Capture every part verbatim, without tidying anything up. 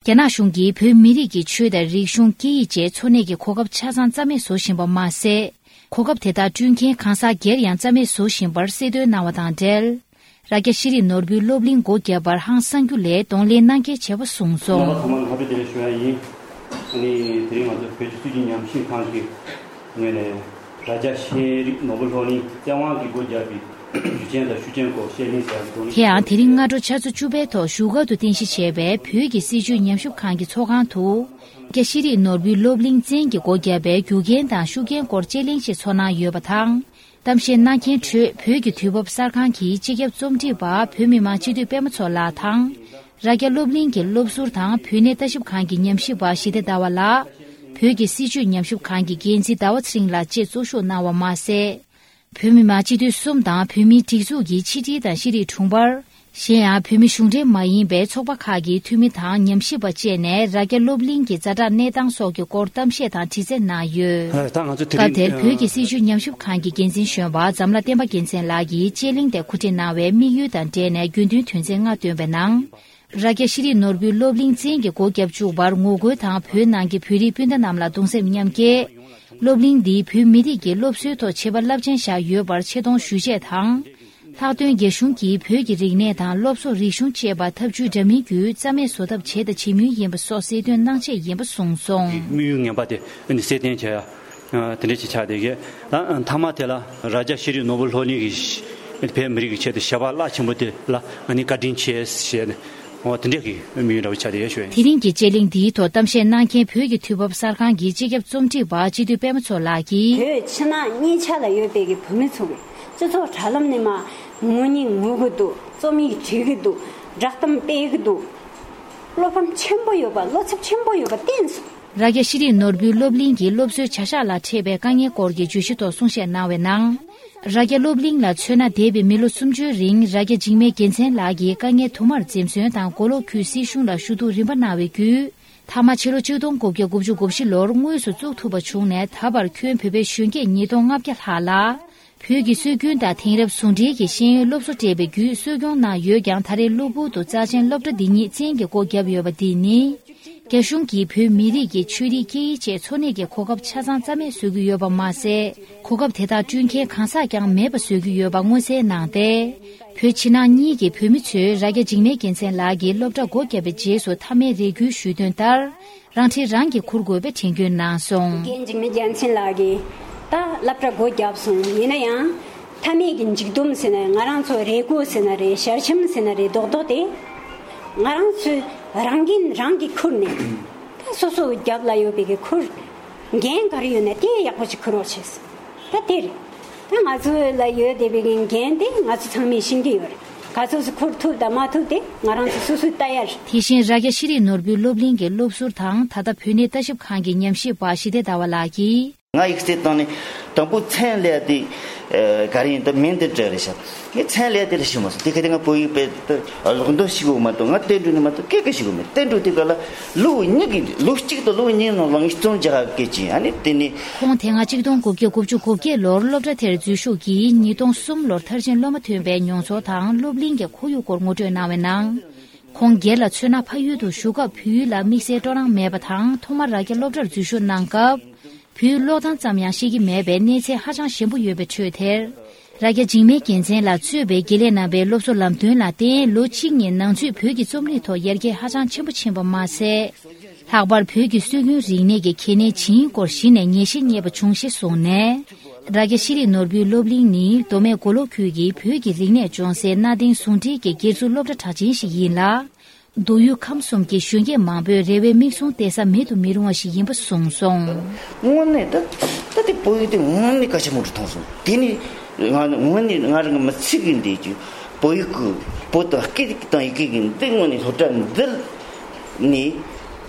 རྒྱ་ནག་གཞུང་གིས་བོད་མི་རིགས་ཀྱི་ཆོས་དང་རིག་གཞུང་། སྐད་ཡིག་བཅས་འཚོ་གནས་ཀྱི་གོ་སྐབས་ཆ་ཚང་རྩ་མེད་བཟོ་བཞིན་པ་མ་ཟད། གོ་སྐབས་དེ་དག་བསྐྲུན་མཁན་གང་ཟག་སྒེར་ཡང་རྩ་མེད་བཟོ་བཞིན་པར་གསལ་སྟོན་གནང་བ་དང་འབྲེལ། རྭ་རྒྱ་ཤེས་རིག་ནོར་བུའི་སློབ་གླིང་སྒོ་བརྒྱབ་པར་ཧང་སང་རྒྱུ་ལས་གདོང་ལེན་གནང་གལ་ཆེ་བ་གསུངས་སོང་། རྣམ་པ་ཚང་མར་ལྷག་པའི་བདེ་ལེགས་ཞུ་ཡ་ཡིན། ཨ་ནི་དེ་རིང་ང་ཚོ་བོད་ཀྱི་སྲིད་བྱུས་ཉམས་ཞིབ་ཁང་གི་ངོས་ནས་རྭ་རྒྱ་ཤེས་རིག་ནོར་བུ་སློབ་གླིང་བཙན་དབང་གིས་སྒོ་བརྒྱབ་པའི་ཇུས་ཆེན་དང་ཤུགས་རྐྱེན་སྐོར་བཤད་གླེང་བྱ་རྒྱུ་དང་། དེ་ཡང་དེ་རིང་སྔ་དྲོ་ཆུ་ཚོད་བཅུ་པའི་ཐོག་བཞུགས་སྒར་དུ་རྟེན་གཞི་བྱས་པའི་བོད་ཀྱི་སྲིད་བྱུས་ཉམས་ཞིབ་ཁང་གི་ཚོགས་ཁང་དུ། རྒྱ་ཤེས་རིག་ནོར་བུའི་སློབ་གླིང་བཙན་གྱིས་སྒོ་བརྒྱབ་པའི་རྒྱུ་རྐྱེན་དང་ཤུགས་རྐྱེན་སྐོར་དཔྱད་གླེང་ཞིག་ཚོགས་གནང་ཡོད་པ་དང་། གཏམ་བཤད་གནང་མཁན་ཁྲོད་བོད་ཀྱི་དུས་བབ་གསར་ཁང་གི་སྤྱི་ཁྱབ་རྩོམ་སྒྲིག་པ་བོད་མི་མང་སྤྱི་འཐུས་པད་མ་མཚོ་ལགས་དང་། རྭ་རྒྱ་སློབ་གླིང་གི་སློབ་ཟུར་དང་བོད་གནས་ལྟ་ཞིབ་ཁང་གི་ཉམས་ཞིབ་པ་ཞི་བདེ་ཟླ་བ་ལགས། བོད་ཀྱི་སྲིད་བྱུས་ཉམས་ཞིབ་ཁང་གི་འགན་འཛིན་ཟླ་བ་ཚེ་རིང་ལགས་བཅས་གཙོ་བཞུགས་གནང་བ་མ་ཟད། བོད་མི་མང་སྤྱི་འཐུས་གསུམ་དང་བོད་མིའི་སྒྲིག་འཛུགས་ཀྱི་ཕྱི་དྲིལ་དང་ཤེས་རིག་དྲུང་འཕར། གཞན་ཡང་བོད་མི་གཞུང་འབྲེལ་མ་ཡིན་པའི་ཚོགས་པ་ཁག་གི་འཐུས་མི་དང་ཉམས་ཞིབ་པ་བཅས་ནས་རྭ་རྒྱ་སློབ་གླིང་གི་ཛ་དྲག་གནས་སྟངས་སོགས་ཀྱི་སྐོར་གཏམ་བཤད་དང་དྲི་རྩད་གནང་ཡོད། ད་ང་ཚོ་དེ་སྐབས་རིང་དེར་བོད་ཀྱི་སྲིད་བྱུས་ཉམས་ཞིབ་ཁང་གི་འགན་འཛིན་གཞོན་པ་འཛམ་ལྷ་བསྟན་པ་རྒྱལ་མཚན་ལགས་ཀྱིས་དཔྱད་གླེང་དེ་གོ་སྒྲིག་གནང་བའི་དམིགས་ཡུལ་དང་འབྲེལ་ནས་དགོས་འདུན་དོན་ཚན་ལྔ་བཏོན་པའི་ནང་། རྭ་རྒྱ་ཤེས་རིག་ནོར་བུའི་སློབ་གླིང་བཙན་གྱིས་སྒོ་བརྒྱབ་བཅུག་པར་ངོ་རྒོལ་དང་བོད་ནང་གི་བོད་རིགས་སྤུན་ཟླ་རྣམས་ལ་གདུང་སེམས་མཉམ་སྐྱེད། སློབ་གླིང་འདིས་བོད་མི་རིགས་ཀྱི་སློབ་གསོའི་ཐོག་བྱས་པ་རླབས་ཆེན་བཞག་ཡོད་པར་ཆེ་མཐོང་ཞུ་ཆེད་དང་། ལྷག་དོན་རྒྱ་གཞུང་གིས་བོད་ཀྱི་རིག་གནས་དང་སློབ་གསོ། རིག་གཞུང་བཅས་པ་ཐབས་ཇུས་འདྲ་མིན་བརྒྱུད་རྩ་མེད་བཟོ་ཐབས་བྱས་དང་བྱེད་མུས་ཡིན་པ་སོགས་གསལ་སྟོན་གནང་ཆེད་ཡིན་པ་གསུངས་སོང་། དམིགས་ཡུལ་ངན་པ་དེ་ནི་གསལ་སྟོན་བྱས་ཡ། དེ་འདྲ་ཞིག་ཆགས་བསྡད་ཡོད། ད་མཐའ་མ་དེ་ལ་རྭ་རྒྱ་ཤེས་རིག་ནོར་བུ་སློབ་གླིང་གིས་བོད་མི་རིགས་ཀྱི་ཆེད་དུ་བྱ་བ་རླབས་ཆེན་པོ་དེ་ལ་ང་ནི་བཀའ་དྲིན་ཆེ་ཞེས་ནས། འོ་དེ་འདྲ་གི་དམིགས་ཡུལ་འདྲ་བོ་ཆགས་བསྡད་ཡོད་ཞུ་ཡ་ཡིན། དེ་རིང་གི་དཔྱད་གླེང་འདིའི་ཐོག་གཏམ་བཤད་གནང་མཁན་བོད་ཀྱི་དུས་བབ་གསར་ཁང་གི་སྤྱི་ཁྱབ་རྩོམ་སྒྲིག་པ་སྤྱི་འཐུས་པད་མ་མཚོ་ལགས་ཀྱིས། བོད་ཕྱི་ནང་གཉིས་ཆ་ལ་ཡོད་པའི་གི་བོད་མི་ཚོ་གི་སྤྱི་ཚོགས་དྲ་ལམ་ནས་མ་ངོ་རྙིང་ངོ་གི་འདུག་རྩོམ་ཡིག་བྲིས་གི་འདུག་བསྒྲགས་གཏམ་སྤེལ་གི་འདུག་བློ་ཕམ་ཆེན་པོ་ཡོད་པ། བློ་འཚབ་ཆེན་པོ་ཡོད་པ་བསྟན་སོང་། རྭ་རྒྱ་ཤེས་རིག་ནོར་བུའི་སློབ་གླིང་གི་སློབ་གསོའི་བྱ་གཞག་ལ་འཕྲད་པའི་དཀའ་ངལ་སྐོར་གྱི་བརྗོད་གཞི་ཐོག་གསུང་བཤད་གནང་བའི་ནང་། རྭ་རྒྱ་སློབ་གླིང་ལ་མཚོན་ན་འདས་པའི་མི་ལོ་སུམ་ཅུའི་རིང་རྭ་རྒྱ་འཇིགས་མེད་རྒྱལ་མཚན་ལགས་ཀྱིས་དཀའ་ངལ་དུ་མར་འཛེམ་ཟོན་དང་མགོ་ལོག་ཁུལ་སྲིད་གཞུང་ལ་ཞུ་གཏུག་རིམ་པ་གནང་བའི་བརྒྱུད། མཐའ་མ་ཕྱི་ལོ་ཆིག་སྟོང་དགུ་བརྒྱ་དགུ་བཅུ་གོ་བཞི་ལོར་དངོས་སུ་བཙུགས་ཐུབ་པ་བྱུང་ནས་ད་བར་ཁྱོན་བོད་པའི་གཞོན་སྐྱེས་ཉིས་སྟོང་ལྔ་བརྒྱ་ལྷག་ལ། བོད་ཀྱི་སྲོལ་རྒྱུན་དང་དེང་རབས་ཟུང་འབྲེལ་གྱི་ཤེས་ཡོན་སློབ་གསོ་སྤྲད་པའི་བརྒྱུད་གསོ་སྐྱོང་གནང་ཡོད་ཀྱང་ད་རེས་གློ་བུར་དུ་རྩ་ཆེན་སློབ་གྲྭ་འདི་ཉིད་བཙན་གྱིས་སྒོ་བརྒྱབ་ཡོད་པ་འདི་ནི། རྒྱ་གཞུང་གིས་བོད་མི་རིགས་ཀྱི་ཆོས་རིག་སྐད་ཡིག་བཅས་འཚོ་གནས་ཀྱི་གོ་སྐབས་ཆ་ཚང་རྩ་མེད་བཟོ་གི་ཡོད་པ་མ་ཟད། གོ་སྐབས་དེ་དག་བསྐྲུན་མཁན་གང་ཟག་ཀྱང་མེད་པ་བཟོ་གི་ཡོད་པ་མངོན་གསལ་གནང་སྟེ། བོད་ཕྱི་ནང་གཉིས་ཀྱི་བོད་མི་ཚོས་རྭ་རྒྱ་འཇིགས་མེད་རྒྱལ་མཚན་ལགས་ཀྱིས་སློབ་གྲྭ་སྒོ་བརྒྱབ་པའི་རྗེས་སུ་མཐའ་མའི་རེ་སྐུལ་ཞུས་དོན་ལྟར། རང་འཁྲི་རང་གིས་འཁུར་དགོས་པའི་དྲན་སྐུལ་གནང་སོང་། རྒན་འཇིགས་མེད་རྒྱལ་མཚན་ལགས་ཀྱིས་ད་སློབ་གྲྭ་སྒོ་བརྒྱབ་སོང་། ཡིན་ན་ཡང་མཐའ་མའི་གི་མཇུག་སྡོམ་ཟེར་ན། ང་རང་ཚོ་རེ་སྐུལ་ཟེར་ན་རེད། ཞལ་ཆེམས་ཟེར་ན་རེད། རྡོག་རྡོག་དེ་ང་རང་ཚོས་རང་འགན་རང་གིས་འཁུར་ནས། ད་སོ་སོ་རྒྱབ་ལ་ཡོད་པའི་གི་འཁུར། འགན་ག་རེ་ཡོད་ན་དེ་ཡག་པོ་ཞིག་འཁུར་རོགས་བྱས། ད་དེ་རེད། ད་ང་ཚོ་ལ་ཡོད་བསྡད་པའི་གི་འགན་དེ་ང་ཚོ་ཚང་མས་ཤེས་ཀྱི་ཡོད་རེད། ག་ཚོད་ཅིག་འཁུར་ཐུབ་དང་མ་ཐུབ་དེ་ང་རང་ཚོ་སོ་སོས་ལྟ་ཡ་རེད། དེ་བཞིན་རྭ་རྒྱ་ཤེས་རིག་ནོར་བུའི་སློབ་གླིང་གི་སློབ་ཟུར་དང་ད་ལྟ་བོད་གནས་ལྟ་ཞིབ་ཁང་གི་ཉམས་ཞིབ་པ་ཞི་བདེ་ཟླ་བ་ལགས་ཀྱིས། ང་ཡིག་ཚད་བཏང་ནས་དང་པོ་མཚན་ལས་དེ་ག་རེ་ཡིན་ད་མིང་དེ་འདྲ་རེད་ཤག་ངས་མཚན་ལས་དེ་ལ་ཞུ་མ་སོང་། དེ་ག་དེ་ང་བོད་ཡིག་དཔེ་ལོག་འདོན་ཞིག་འོ་མ་གཏོགས། ང་བསྟན་འགྲོ་ནི་མ་གཏོགས་སྐད་ཀ་ཞིག་འོ་མེད། བསྟན་འགྲོ་དེ་ག་ལ་ལོ་གཉིས་ཀྱི་ལོ་གཅིག་དང་ལོ་གཉིས་ནང་ལ་ངས་རྩོམ་རྒྱག་གི་ཅིང་ཨ་ནི་དེ་ནི། ཁོང་དེ་སྔ་ཆིག་སྟོང་དགུ་བརྒྱ་དགུ་བཅུ་གོ་བརྒྱད་ལོར་སློབ་གྲྭ་དེར་འཛུལ་ཞུགས་ཀྱིས་ཉིས་སྟོང་གསུམ་ལོར་མཐར་ཕྱིན་སློབ་མ་ཐོན་པའི་མྱོང་ཚོར་དང་སློབ་གླིང་གི་ཁོར་ཡུག་སྐོར་ངོ་སྤྲོད་གནང་བའི་ནང་། ཁོང་སྒེར་ལ་མཚོན་ན་ཕ་ཡུལ་དུ་བཞུགས་སྐབས་བོད་ཡིག་ལ་དམིགས་བསལ་སྤྲོ་སྣང་མེད་པ་དང་། ཐོག་མར་རྭ་རྒྱ་སློབ་གྲྭར་འཛུལ་ཞུགས་གནང་སྐབས། བོད་ཀློག་སྟངས་ཙམ་ཡང་ཤེས་ཀྱི་མེད་པའི་གནས་ཚད་ཧ་ཅང་ཞན་པོ་ཡོད་པའི་ཁྲོད་དེར། རྭ་རྒྱ་འཇིགས་མེད་རྒྱལ་མཚན་ལགས་གཙོས་པའི་དགེ་ལས་རྣམ་པའི་སློབ་གསོ་ལམ་སྟོན་ལ་བརྟེན། ལོ་གཅིག་གཉིས་ནང་ཚུད་བོད་ཀྱི་རྩོམ་རིག་ཐོག་ཡར་རྒྱས་ཧ་ཅང་ཆེན་པོ་ཕྱིན་པ་མ་ཟད། ལྷག་པར་བོད་ཀྱི་སྲོལ་རྒྱུན་རིག་གནས་ཀྱི་གལ་གནད་ཇི་ཡིན་སྐོར་གཞི་ནས་ངེས་ཤེས་རྙེད་པ་བྱུང་ཞེས་གསུངས་ནས། རྭ་རྒྱ་ཤེས་རིག་ནོར་བུའི་སློབ་གླིང་ནི་མདོ་སྨད་མགོ་ལོག་ཁུལ་གྱི་བོད་ཀྱི་རིག་གནས་སྦྱོང་སའི་གནའ་དེང་ཟུང་འབྲེལ་གྱི་སྒེར་ཚུགས་སློབ་གྲྭ་གྲགས་ཅན་ཞིག་ཡིན་ལ། མདོ་དབུས་ཁམས་གསུམ་གྱི་གཞོན་སྐྱེས་མང་པོའི་རེ་བའི་མིག་ཟུང་གཏད་ས་མེད་དུ་མི་རུང་བ་ཞིག་ཡིན་པ་གསུངས་སོང་། དངོས་གནས་ད་ད་དེ་བོད་ཡིག་དེ་དངོས་གནས་གལ་ཆེན་པོ་རུ་མཐོང་སོང་། དེ་ནི་ང་དངོས་གནས་ང་རང་གི་མི་ཚེ་གི་འདས་ཀྱི་བོད་ཡིག་གི་བོད་དང་སྐད་ཡིག་དང་ཡི་གེ་གི་འདི་དངོས་གནས་སློབ་གྲྭ་འདི་ནས་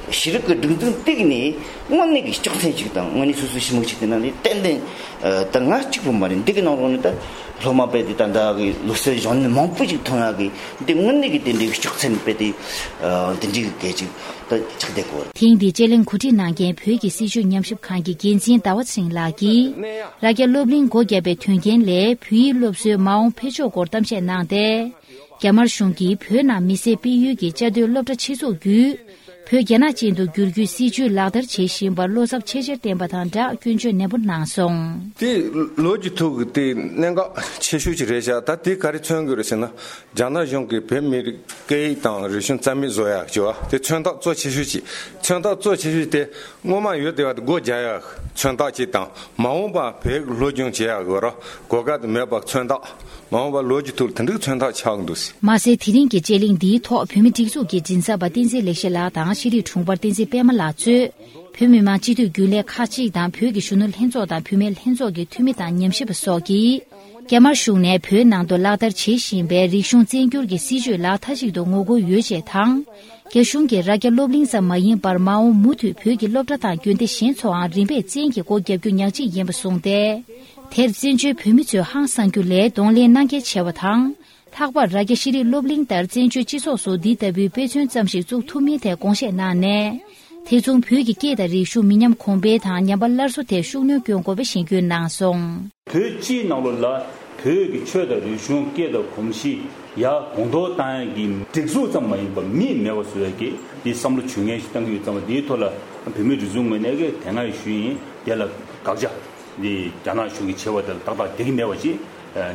ཤེས་རིག་གི་སྒྲིག་འཛུགས་སྟེགས་ནས་དངོས་གནས་ཀྱི་ལྕག་ཚན་ཅིག་དང་། དངོས་གནས་སོ་སོའི་ཞི་མོ་ཅིག་དེ་ན་ནི་ཏན་ཏན་ད་ང་གཅིག་པུ་མ་རེད། འདི་གི་ནང་ལོགས་ནས་ད་སློབ་མ་དཔེ་དེ་ད་ད་གི་ལོ་སར་གཞོན་ནུ་མང་པོ་ཞིག་ཐོན་ཡག་གི་འདི་དངོས་གནས་ཀྱི་དེ་འདྲའི་ལྕག་ཚན་དཔེ་དེ་འདི་འདྲའི་གི་གལ་ཅིག་ད་ཆགས་བསྡད་ཀྱི་ཡོད་རེད། ཐེངས་འདིའི་དཔྱད་གླེང་གོ་སྒྲིག་གནང་མཁན་བོད་ཀྱི་སྲིད་བྱུས་ཉམས་ཞིབ་ཁང་གི་འགན་འཛིན་ཟླ་བ་ཚེ་རིང་ལགས་ཀྱིས། རྭ་རྒྱ་སློབ་གླིང་སྒོ་བརྒྱབ་པའི་དོན་རྐྱེན་ལས་བོད་ཡིག་སློབ་གསོའི་མ་འོངས་འཕེལ་ཕྱོགས་སྐོར་གཏམ་བཤད་གནང་སྟེ། རྒྱ་དམར་གཞུང་གིས་བོད་ནང་མི་སེར་སྤེལ་ཡུལ་གྱི་བཅའ་སྡོད་སློབ་གྲྭ་ཆེད་འཛུགས་བརྒྱུད། བོད་རྒྱ་ནག་ཅན་དུ་བསྒྱུར་རྒྱུའི་སྲིད་བྱུས་ལག་བསྟར་བྱེད་བཞིན་པར་བློ་འཚབ་ཆེ་ཆེར་བསྟན་པ་དང་སྦྲགས་སྐྱོན་བརྗོད་ནན་པོ་གནང་སོང་། དེ་ལོ་རྒྱུས་ཐོག་གི་དེ་གནད་འགག་ཆེ་ཤོས་ཅིག་རེད་ཤག་ད་དེ་ག་རེ་མཚོན་གྱི་རེད་ཟེར་ན། རྒྱ་ནག་གཞུང་གིས་བོད་མི་རིགས་སྐད་ཡིག་དང་རིག་གཞུང་རྩ་མེད་བཟོ་ཡག་ཅིག་བ་དེ་མཚོན་རྟགས་གཙོ་ཆེ་ཤོས་ཅིག་མཚོན་རྟགས་གཙོ་ཆེ་ཤོས་དེ་སྔོན་མ་ཡོད་བསྡད་པ་དེ་སྒོ་རྒྱག་ཡག་མཚོན་རྟགས་ཅིག་དང་མ་འོངས་པ་བོད་ཡིག་སློབ་སྦྱོང་བྱེད་ཡག་གི་ར་གོ་སྐབས་དེ་མེད་པ་མཚོན་རྟགས། མ་འོངས་པ་ལོ་རྒྱུས་ཐོག་དེ་འདྲའི་མཚོན་རྟགས་ཆགས་འདུག་མ་ཟད་དེ་རིང་གི་དཔྱད་གླེང་འདིའི་ཐོག་བོད་མི་སྒྲིག་འཛུགས་ཀྱི་མགྲིན་ཚབ་པ་བསྟན་འཛིན་ལེགས་བཤད་ལགས་དང་ཤེས་རིག་དྲུང་འཕར་བསྟན་འཛིན་པད་མ་ལགས་གཙོས། བོད་མི་མང་སྤྱི་འཐུས་རྒྱུན་ལས་ཁག་ཅིག་དང་བོད་ཀྱི་གཞོན་ནུ་ལྷན་ཚོགས་དང་བུད་མེད་ལྷན་ཚོགས་ཀྱི་འཐུས་མི་དང་ཉམས་ཞིབ་པ་སོགས་ཀྱིས། རྒྱ་དམར་གཞུང་ནས་བོད་ནང་དུ་ལག་བསྟར་བྱེད་བཞིན་པའི་རིག་གཞུང་བཙན་སྒྱུར་གྱི་སྲིད་བྱུས་ལ་མཐའ་གཅིག་ཏུ་ངོ་རྒོལ་ཡོད་ཅེས་དང་། རྒྱ་གཞུང་གིས་རྭ་རྒྱ་སློབ་གླིང་ཙམ་མ་ཡིན་པར་མ་འོངས་མུ་མཐུད་བོད་ཀྱི་སློབ་གྲྭ་དང་དགོན་སྡེ་གཞན་ཚོའང་རིམ་པས་བཙན་གྱིས་སྒོ་བརྒྱབ་རྒྱུ་ཉག་གཅིག་ཡིན་པ་གསུངས་ཏེ། དེར་བཙན་བྱོལ་བོད་མི་ཚོས་ཧང་སང་རྒྱུ་ལས་གདོང་ལེན་གནང་གལ་ཆེ་བ་དང་། ལྷག་པར་རྭ་རྒྱ་ཤེས་རིག་སློབ་གླིང་ལྟར་བཙན་བྱོལ་སྤྱི་ཚོགས་སུ་འདི་ལྟ་བུའི་དཔེ་མཚོན་ཙམ་ཞིག་བཙུགས་ཐུབ་མིན་ཐད་དགོངས་བཞེས་གནང་ནས། དེ་མཚུངས་བོད་ཀྱི་སྐད་དང་རིག་གཞུང་མི་ཉམས་གོང་འཕེལ་དང་ཉམས་པ་སླར་གསོ་ཐད་ཤུགས་སྣོན་སྐྱོན་དགོས་པའི་གཞེན་སྐུལ་གནང་སོང་། བོད་སྤྱིའི་ནང་ལོགས་ལ་བོད་ཀྱི་ཆོས་དང་རིག་གཞུང་སྐད་དང་གོམས་གཤིས་ཡར་གོང་མཐོར་བཏང་ཡག་གི་སྒྲིག་འཛུགས་ཙམ་མ་ཡིན་པར་མིས་མེད་པ་བཟོ་ཡག་གི་འདི་བསམ་བློ་ཇུས་ངན་ཞིག་བཏང་གི་ཡོད་ཙང་འདིའི་ཐོག་ལ་བོད་མིའི་སྒྲིག་འཛུགས་ངོས་ནས་ཀྱི་དེ་སྔ་ཡང་ཞུས་ཡིན། དེ་ལ་དགག་བྱ་འདི་རྒྱ་ནག་གཞུང་གིས་བྱས་པ་དེ་ལ་ཏག་ཏག་འགྲིག་གི་མེད་པ་ཅིག་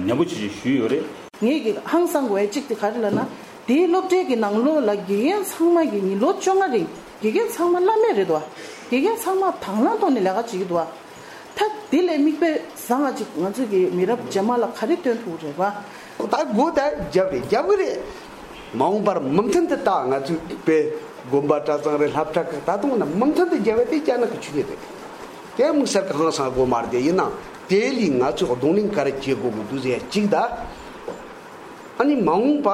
ནན་པོ་ཅིག་ཞུས་ཡོད་རེད། ངས་ཀྱི་ཧང་སང་དགོས་ཡ་གཅིག་དེ་ག་རེ་ལབ་ན། དེའི་སློབ་གྲྭའི་གི་ནང་ལོགས་ལ་དགེ་རྒན་ཚང་མ་གི་ཉིན་ལོ་བཅོ་ལྔ་རིང་དགེ་རྒན་ཚང་མ་བླ་མེད་རེད་དོ། དགེ་རྒན་ཚང་མ་དང་བླངས་ཐོག་ནས་ལས་ཀ་བྱེད་ཀྱི་འདུག་ད་དེ་ལས་མིག་དཔེ་བཟང་ང་ཅིག་ང་ཚོ་གི་མི་རབས་རྗེས་མ་ལ་ག་རེ་སྟོན་ཐུབ་རེད་པ། ད་སྒོ་ད་རྒྱབ་རེད་རྒྱབ་གི་རེད། མ་འོངས་པར་མུ་མཐུད་དུ་ད་ང་ཚོའི་དཔེ་དགོན་པ་གྲྭ་ཚང་རེད་སློབ་གྲྭ་གི་ད་དུང་ན་མུ་མཐུད་དུ་རྒྱབ་པ་དེ་རྒྱ་ནག་གི་ཆོས་ཉིད་རེད། དེ་དམིགས་བསལ་གི་ཧང་སང་དགོས་མ་རེད། དེ་ཡིན་ནའང་དེ་ལས་ང་ཚོས་གདོང་ལེན་ག་རེ་བྱེད་དགོས་གི་འདུག་ཟེར་ཡ་གཅིག་ད། ཨ་ནི་མ་འོངས་པ་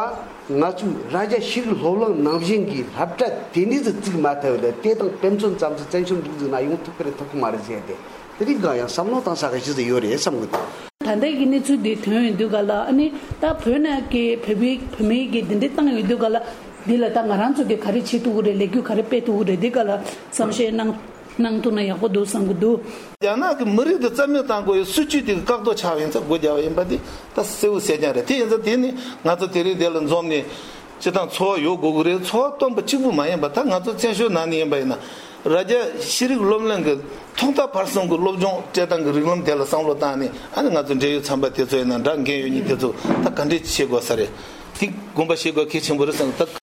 ང་ཚོས་རྭ་རྒྱ་ཤེས་རིག་སློབ་གླིང་ནང་བཞིན་གྱི་སློབ་གྲྭ་དེ་འདྲ་ཟིག་བཙུགས་མ་ཐུབ་ཡོད་ལ་དེ་དང་དཔེ་མཚོན་ཙམ་ཟིག་བཙན་བྱོལ་འདུག་ཟིག་ན་ཡོང་ཐུབ་ཀྱི་རེད་ཐུབ་ཀྱི་མ་རེད་ཟེར་ཏེ་དེ་རིགས་གང་ཡང་བསམ་བློ་བཏང་ས་གི་ཞིག་ཟིག་ཡོད་རེད་བསམ་གི་འདུག་ད་ལྟའི་གི་གནས་ཚུལ་འདི་ཐོན་ཡོང་དུས་ག་ལ་ཨ་ནི་ད་བོད་ནང་གི་བོད་པའི་བོད་མིའི་གི་འདི་འདྲ་བཏང་ཡོང་དུས་ག་ལ་འདི་ལ་ད་ང་རང་ཚོ་གི་ག་རེ་བྱེད་ཐུབ་ཀྱི་རེད། ལས་འགུལ་ག་རེ་སྤེལ་ཐུབ་ཀྱི་རེད། འདི་ག་ལ་བསམ་ཤེས་གནང་། གནང་ཐུབ་ན་ཡག་པོ་འདུག་བསམ་གྱི་འདུག་རྒྱ་ནག་གི་མི་རིགས་དེ་རྩ་མེད་བཏང་དགོས་ཡའི་སྲིད་ཇུས་དེ་གི་བཀག་རྡོ་ཆགས་ཡིན་ཙང་སྒོ་རྒྱག་པ་ཡིན་པ་དེ་ད་གསལ་པོ་གསལ་རྐྱང་རེད། དེ་ཡིན་ཙང་དེ་ནི་ང་ཚོ་དེ་རིང་འདི་ལ་འཛོམས་ནས་སྤྱི་བཏང་འཚོ་བ་ཡོད་དགོས་ཀྱི་རེད། འཚོ་བ་སྟོན་པ་གཅིག་པུ་མ་ཡིན་པ་ད་ང་ཚོ་བཙན་བྱོལ་ནང་ནས་ཡིན་པ་ཡིན་ན་རྭ་རྒྱ་ཤེས་རིག་སློབ་གླིང་གི་ཐོག་མཐའ་བར་གསུམ་གྱི་སློབ་སྦྱོང་སྤྲད་སྟངས་ཀྱི་རིགས་ལམ་དེ་ལ་བསམ་བློ་བཏང་ནས་ཨ་ནི་ང་ཚོ་འབྲེལ་ཡོད་ཚན་པ་དེ་ཚོ་ཡིན་ན་འདྲ་འགན་ཡོད་མཁན་དེ་ཚོ་ད་ག་འདྲས་བྱེད་དགོས་ས་རེད། དེ་དགོངས་པ་བཞེས་དགོས་གལ་ཆེན་པོ་རེད་བསམ་ད།